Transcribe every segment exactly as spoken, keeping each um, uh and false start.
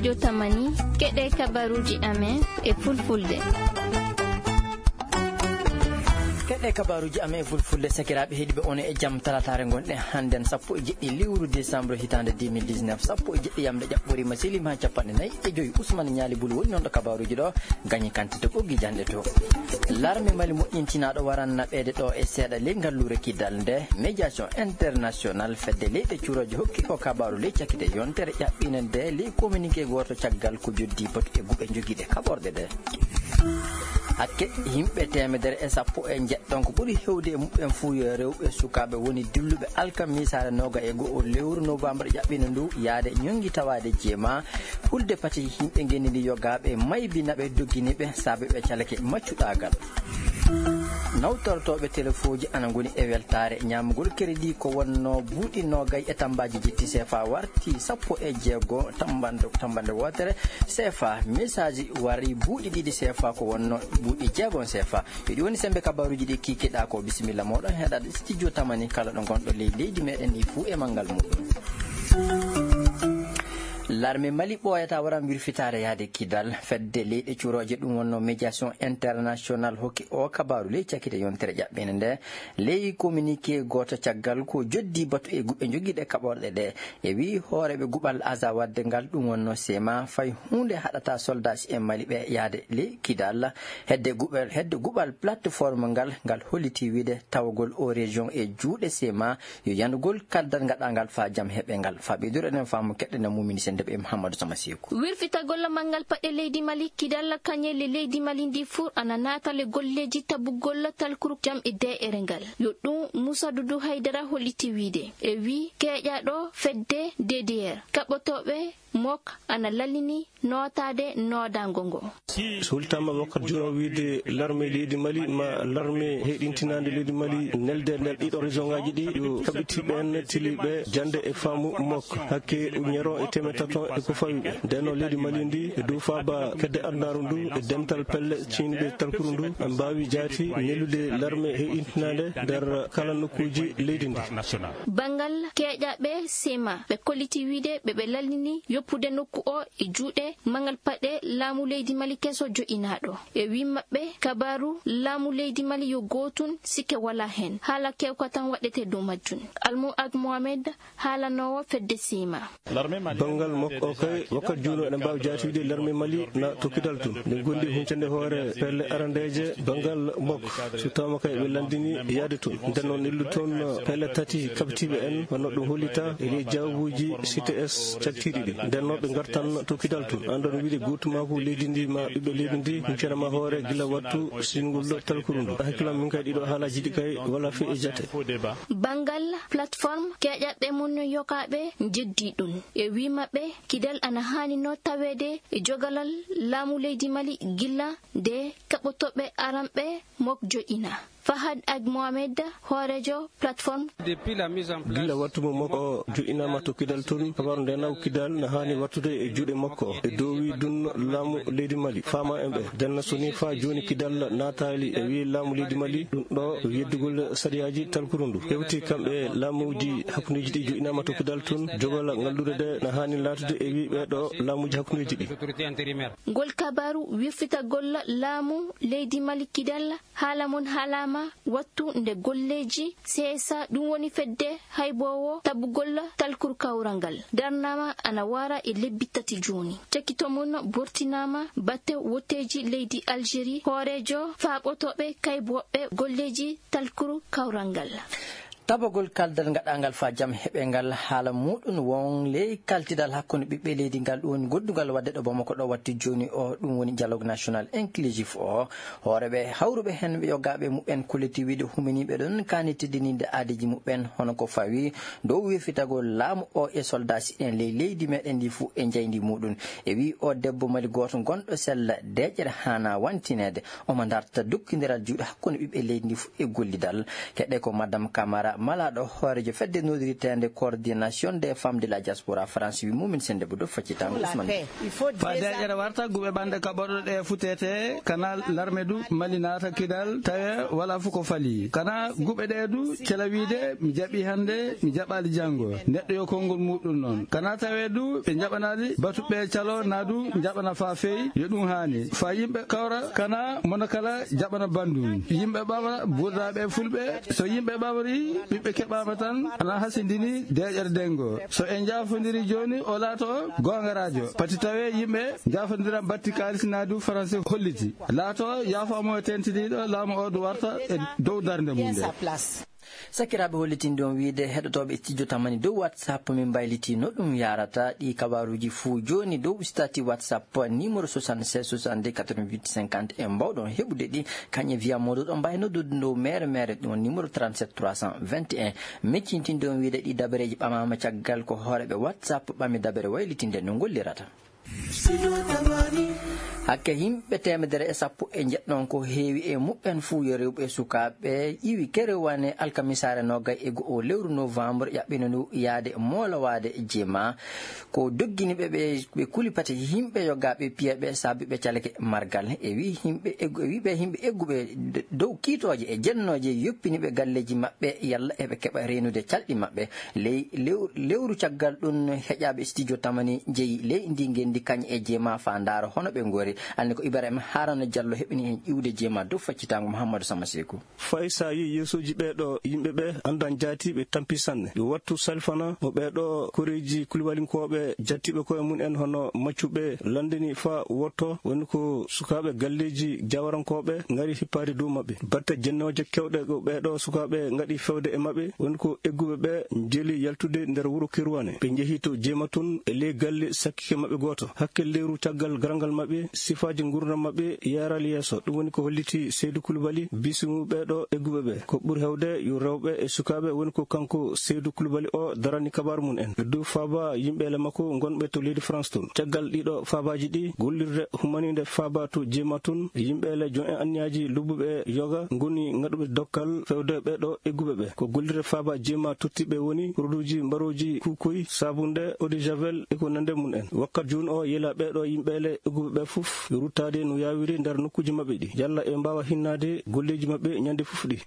Jotamani, keɗe kabaruuji amen e fulfulde. Keɗe kabaruuji amen e fulfulde, sakiraaɓe heɗiiɓe, on e jam. Talataare ngonɗen hannden, sappo e jeɗɗi lewru décembre hitaande deux mille dix-neuf, sappo e jeɗɗi yamde ƴaɓɓoriima, seliima haa capanɗe nayi e joy. Ousmane Ñaali Bulu woni noon ɗo kabaruuji ɗo, gañi kantite ɓoggi janɗe to. Larme Mali moƴƴintinaaɗo waran naɓeede ɗo e seeɗa ley ngalluure Kidal nde médiation international fedde leyɗe curooje hokki o kabaaru ley cakite yontere ƴaɓɓiinde nde ley communiqué gooto caggal ko joddi batu e guɓe jogiiɗe kaɓorɗe ɗe. Hakke yimɓe teemedere e sappo e njeɗɗon ko ɓuri hewde e muɓɓen fuu yo rewɓe sukaaɓe woni dilluɓe alkamisaare nooga e go'o lewru novembre ƴaɓɓiinde ndu yaade ñongi tawaade jeema. Hulde pati yimɓe ngenndi ndi yogaaɓe maybi naɓe doggini ɓe saabe ɓe calake maccuɗaagal. Nawtortooɓe telefooji ana ngoni e weltaare ñaamugol crédit ko wonno buuɗi noogay e tammbaaji jetti seefa warti sappo e jeego tammbande, tammbande wootere seefa. Message wari buuɗi ɗiɗi seefa ko wonno buuɗi jeegon seefa. Ko ɗi woni semmbe kabaruuji ɗi kiikiɗaa ko. Bisimilla mooɗon heɗaade studio tamani kala ɗo ngonɗo ley leydi meɗen ndi fuu e manngal muɗum. Larme Mali ɓooyata waran wirfitaare yaade Kidal. Fedde leyɗe curooje ɗum wonno médiation international hokki o kabaaru ley cakite yontere ƴaɓɓiinde nde. Ley communiqué gooto caggal ko joddi batu e guɓe jogiiɗe kaɓorɗe ɗe. E wi hooreeɓe guɓal Azawad ngal ɗum wonno seema fay huunde haɗata soldat en Mali ɓe yaade ley Kidal. Hedde guɓal, hedde guɓal plateforme ngal, ngal holliti wiide tawagol o région e juuɗe seema yo yanugol kaldal ngaɗangal fa jam heɓe ngal. Fa ɓeydoro enen faamu keɗɗen e mumini sende ɓe Mouhamadou Sama Seku. Wirfitagol manngal paɗe leydi Mali, Kidal kañele leydi Mali ndi fuu ana naatale golleeji tabugol talkuru jam e de'ere ngal. Yo ɗum Moussa Doudou Haydara holliti wiide. E wi keeƴaaɗo fedde D D R, kaɓotooɓe mok ana lallini nootaade noodaango ngo. Sultama wakkat jono wiide larme leydi Mali ma larme heyɗintinaande leydi Mali nelde nder ɗiɗo région ngaji ɗi yo kaɓitiiɓe en tiliiɓe jande e faamu mok hakke uñero e teemedde tato e ko fawi ɓe. Ndenno leydi Mali ndi e dow faaba kedde adunaaru ndu e dental pelle ciñɗe talkuru ndu mbaawi jaati nelude larme heyɗintinaande nder kala nokkuuji leydi ndi. Banngal keeƴaaɓe seema ɓe kolliti wiide ɓe ɓe lallini yoppude nokku o e juuɗe manngal paɗe laamu leydi Mali keso jo'inaaɗo. E wi maɓɓe kabaaru laamu leydi Mali yo gootun sikke wala heen. Haala kewka tan waɗete dow majjun. Almu Ag Mohamed haalanoowo fedde seema. Banngal mok o kay wakkat juuno ene mbaawi jaati wiide larme Mali na tokkidal tun. Nde gondi huncande hoore pelle arandeeje banngal mok. So tawama kay ɓe landini yaade tun. Nden noon nellu toon pelle tati kaɓitiiɓe en wonno ɗum hollita e ley jawbuuji C T S caktiiɗi ɗi. Nden noon ɓe ngartan tokkidal tun. An ɗon wiide gootumaaku leydi ndi ma ɓiɓɓe leydi ndi, huncere ma hoore gila wattu singol talkuru ndu. Hakkillam min kay ɗiɗo haalaaji ɗi kay wala fi e jate. Banngal plateforme keeƴaɓɓe mum no yokaaɓe njeddi ɗum. E wi maɓɓe, Kidal ana haanino taweede e jogalal laamu leydi Mali gila nde kaɓotooɓe aranɓe mok joƴina. Fahad Ag Mohamed, hooreejo plateforme. Gila wattu mo mok o joƴinaama to Kidal tun, habaru nde naw Kidal na haani wattude e juuɗe makko e dow wi dun laamu leydi Mali. Faama en ɓe denna so ni faa jooni Kidal naataali e wi laamu leydi Mali, ɗum ɗo yeddugol sariyaaji talkuru ndu. Hewti kamɓe laamuuji hakkundeeji ɗi joƴinaama to Kidal tun, jogal ngallude de na haani laatude e wi ɓee ɗo laamuuji hakkundeeji ɗi. Ngol kabaaru wirfitagol laamu leydi Mali Kidal, haala mon haalaama wattu nde golleeji C S A, ɗum woni fedde hayboowo tabugol talkuru kawral ngal, darnaama ana wara e lebbi tati jooni. Cakito mon bortinaama batte wotteeji leydi Algérie, hooreejo faaɓotooɓe kayboɓɓe golleeji talkuru kawral ngal. Tabagol kaldal ngaɗangal faa jam heɓe ngal, haala muɗum won ley kaltidal hakkunde ɓiɓɓe leydi ngal, ɗum woni goddungal waɗde ɗo Bamako ɗo watti jooni o, ɗum woni dialogue national inclusif o. Hooreeɓe hawruɓe heen yogaaɓe muɓɓen kolliti wiide huminiiɓe ɗon kaani teddininde aadeeji muɓɓen, hono ko fawi dow wirfitagol laamu o e soldaasi'en ley leydi meɗen ndi fuu e njayndi muɗum. E wi o debbo Mali gooto gonɗo sella deeƴere haana wantineede. Omo darta dokkindiral juuɗe hakkunde ɓiɓɓe leydi ndi fuu e gollidal. Keɗe ko Madame Camara Malaaɗo hooreejo fedde noddiriteende Coordination des Femmes de la Diaspora France wi mumin sende bo dow faccitango Ousmane. Fa deeƴere warta guɓe ɓanɗe kaɓorɗe ɗe futete kana larme du mali naata kidal tawe wala fu ko fali kana guɓe ɗe du cela wiide mi jaɓi hannde mi jaɓali janngo neɗɗo yo konngol muɗum noon kana tawe du ɓe jaɓanali batuɓe calo na du jaɓana fa feyi yo ɗum haani fa yimɓe kawra kana mono kala jaɓana banndum yimɓe ɓawa burdaɓe fulɓe so yimɓe ɓawri ɓiɓɓe keɓama tan ana hasindini deeƴere dengo so en jafodiri joni o laato goonga radio pati tawe yimɓe jafodira batti kalis na du français holliti laato yaafamo e tentiniɗo laamu o du warta e dow darde mum nde. Sakiraaɓe hollitinde on wiide heɗotooɓe studio tamani dow whatsapp min mbayliti no ɗum yarata ɗi kabaruuji fuu jooni dow stati whatsapp numéro soixante-seize soixante-deux quatre-vingt-huit cinquante e mbawɗon heɓude ɗi kañe via moɗo ɗon mbawi noddude dow mere mere ɗum numéro trente-sept trois cent vingt et un. Miccintinde on wiide ɗi dabareeji ɓamama caggal ko hooreɓe whatsapp ɓami dabare waylitinde no gollirata. Hakke yimɓe teemedere e sappo e njeɗɗon ko heewi e muɓɓen fuu yo rewɓe e sukaaɓe iwi kerewane alkamisaare nogay e go'o lewru novembre yaɓɓino ndu yaade moolowaade jema ko doggini ɓe ɓe ɓe kuli pati yimɓe yogaaɓe piyaɓe saabi ɓe calake margal e wi yimɓe eggu e wiɓe yimɓe egguɓe dow kiitooje e jennooje yoppini ɓe galleeji maɓɓe yalla eɓe keɓa reenude calɗi maɓɓe ley lew- lewru caggal ɗum heƴaaɓe studio tamani jeyi ley ndi ngenndi kañ e jeema fa ndaara hono ɓe ngoori alni ko ibrahima harana diallo heɓini heen iwde jeema dow faccitaango mouhammadou sama seeku. Fay so a yii yeesuuji ɓee ɗoo yimɓe ɓee anndan jaati ɓe tampi sanne yo wattu salfana mo ɓee ɗoo koreeji kulibalinkooɓe jattiiɓe koye mum en hono maccuɓe lanndini faa wotto woni ko sukaaɓe galleeji jawarankooɓe ngari hippaade dow maɓɓe batte jennooje kewɗe ko ɓee ɗoo sukaaɓe ngaɗi fewde e maɓɓe woni ko egguɓe ɓee njeli yaltude nder wuro kirwane ɓe njehi to jeema tun e ley galle sakkike maɓɓe gooto hakke leyru caggal garangal maɓɓe sifaaji ngurdam maɓɓe yaral yeeso ɗum woni ko holliti seydu kulubali bisimu ɓee ɗoo egguɓe ɓee ko ɓuri heewde yo rewɓe e sukaaɓe woni ko kanko seydu kulubali o darani kabaaru mum en e dow faaba yimɓeele makko ngonɓe to leydi france tun caggal ɗiɗo faabaaji ɗi gollirde humaniinde faaba to jeema tun yimɓeele jon en anniyaaji lobbuɓe e yoga ngoni ngaɗuɓe dokkal fewde ɓee ɗoo egguɓe ɓee ko gollirde faaba jeema tottiɓe woni produitji mbarooji kuukoy saabunde eau de javel e ko nande mum en wakkat jooni o yela ɓee ɗoo yimɓeele egguɓe ɓee fof ruttaade no yaawiri nder nokkuuji maɓɓe ɗi yalla eɓe mbaawa hinnaade golleeji maɓɓe ñande fof ɗi.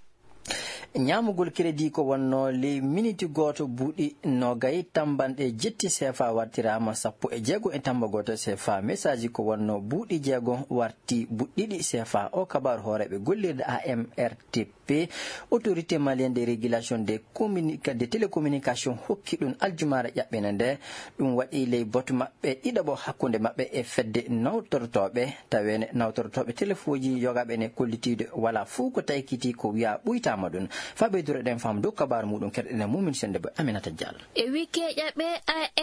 Ñaamugol crédit ko wonnoo ley miniti gooto buuɗi nogay tambanɗe jetti seefa wartiraama sappo e jeego e tamba gooto seefa message ko wonnoo buuɗi jeego warti buɗɗiɗi seefa o kabaaru hooreeɓe gollirde amrtp autorité malienne de régulation des communica- des télécommunications hokki ɗum aljumaare ƴaɓɓene nde ɗum waɗi ley boto maɓɓe ɗiɗaɓo hakkunde maɓɓe e fedde nawtortooɓe taweene nawtortooɓe telefoji yogaaɓe ene kollitiiɗo wala fuu ko taykiti ko wiya ɓuytaama ɗum faa ɓeydoro ɗen faamu dow kabaaru muɗum kerɗene mumin sende bo aminata diallo. E wikeeja ɓe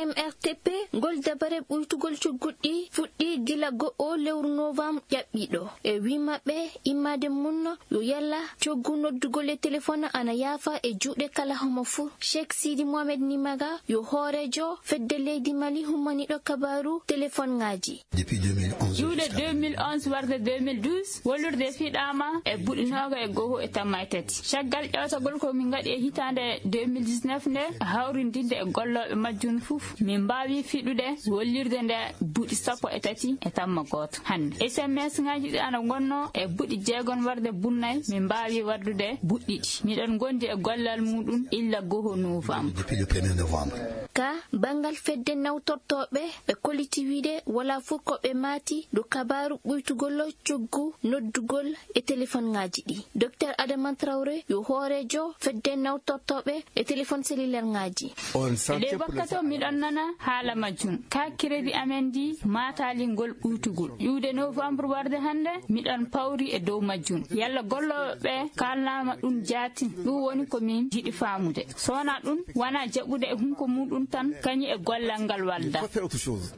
amrtp ngol dabare ɓuytugol cogguɗi fuɗɗi gila go'o lewru novembre ƴaɓɓiiɗo e wi maɓɓe immaade munno yo yalla coggu noddugol e telefon ana yaafa e juuɗe kala homo fuu. Cheikh sidi mohamed nimaga yo hooreejo fedde leydi mali hummaniiɗo kabaaru telefonŋaaji. Depuis deux mille onze. Iwde deux mille onze warde deux mille douze, wollirde fiɗaama e buɗi nooga e goho e tamma e tati. Caggal ƴeewtagol ko min ngaɗi e hitaande deux mille dix-neuf nde, hawrindinde e gollooɓe majjum fof, min mbaawi fiɗude wollirde nde buɗi sappo e tati e tamma gooto. Hannde, S M S ŋaaji ɗi ana ngonnoo e buɗi jeegom warde bunnay, min mbaawi waddude buɗɗiɗi. Miɗen ngondi e gollal muɗum illa goho novembre. Depuis le premier novembre. Ka banngal fedde nawtortooɓe ɓe koliti wiide wala fof ko ɓe maati dow kabaaru ɓuytugol coggu noddugol e telefonŋaaji ɗi. Docteur Adama Traoré yo hooreejo fedde nawtortooɓe e telefon sellulerŋaaji. E ɗe wakkati o miɗon nana haala majjum. Ka crédit amen ndi maataali ngol ɓuytugol. Iwde novembre warde hannde miɗon pawri e dow majjum. Yalla gollooɓe ɓe kaalnaama ɗum jaati. Ɗum woni ko min jiɗi faamude. So wonaa ɗum, wonaa jaɓude e hunko muɗum tan, kañum e gollal ngal walda.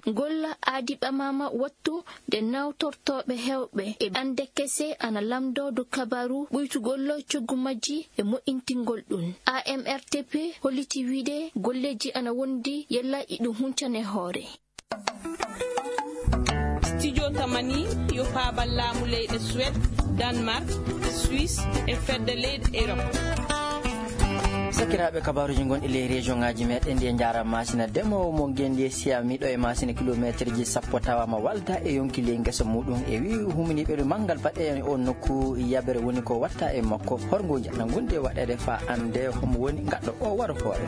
Golla aadi ɓamaama wattu nde nawtortooɓe heewɓe e ɓande kese ana lamndoo dow kabaaru ɓuytugol coggu majji e moƴƴintingol ɗum. A M R T P holliti wiide golleeji ana wondi yalla iɗum huncane hoore. Studio Tamani yo faabal laamu leyɗe Suède, Danemark, Suisse e fedde leyɗe Europe. Sakiraaɓe, kabaruuji gonɗi ley région ŋaaji meɗen ɗi, en njaaraama maasina. Demoowo mo ngenndi e siya miɗo e maasina kilomeeterji sappo tawaama walda e yonki ley ngesa muuɗum, e wi huminiiɓe ɗum manngal baɗe e on nokku yabere woni ko watta e makko. Horngo njana gonɗi e waɗeede fa annde homo woni ngaɗɗo o waro hoore.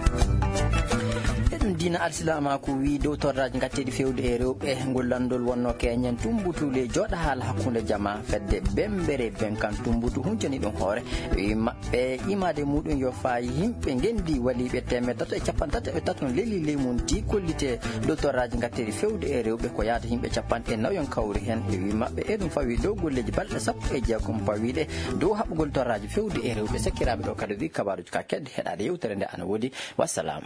E ɗum diina alsilaamaaku wi dow torraaji ngatteeɗi fewde e rewɓe, ngol lanndol wonno keñen tumbutu ley jooɗa haala hakkunde jama fedde bembere ben kan tumbutu huncani ɗum hoore. Wi maɓɓe imaade muuɗum yo faayi yimɓe ngenndi waliiɓe teemeɗɗe tato e capanɗe tato e tato leli ley mum ti kollite dow torraaji ngatteeɗi fewde e rewɓe ko yaada yimɓe capanɗe nayon kawri heen. E wi maɓɓe e ɗum fawi dow golleeji balɗe sappo e jeegom pawiiɗe dow haɓɓugol torraaji fewde e rewɓe. Sakiraaɓe, ɗo kadi wi kabaaruuji ka kedde heɗaade yewtere nde ana woodi. Wassalam.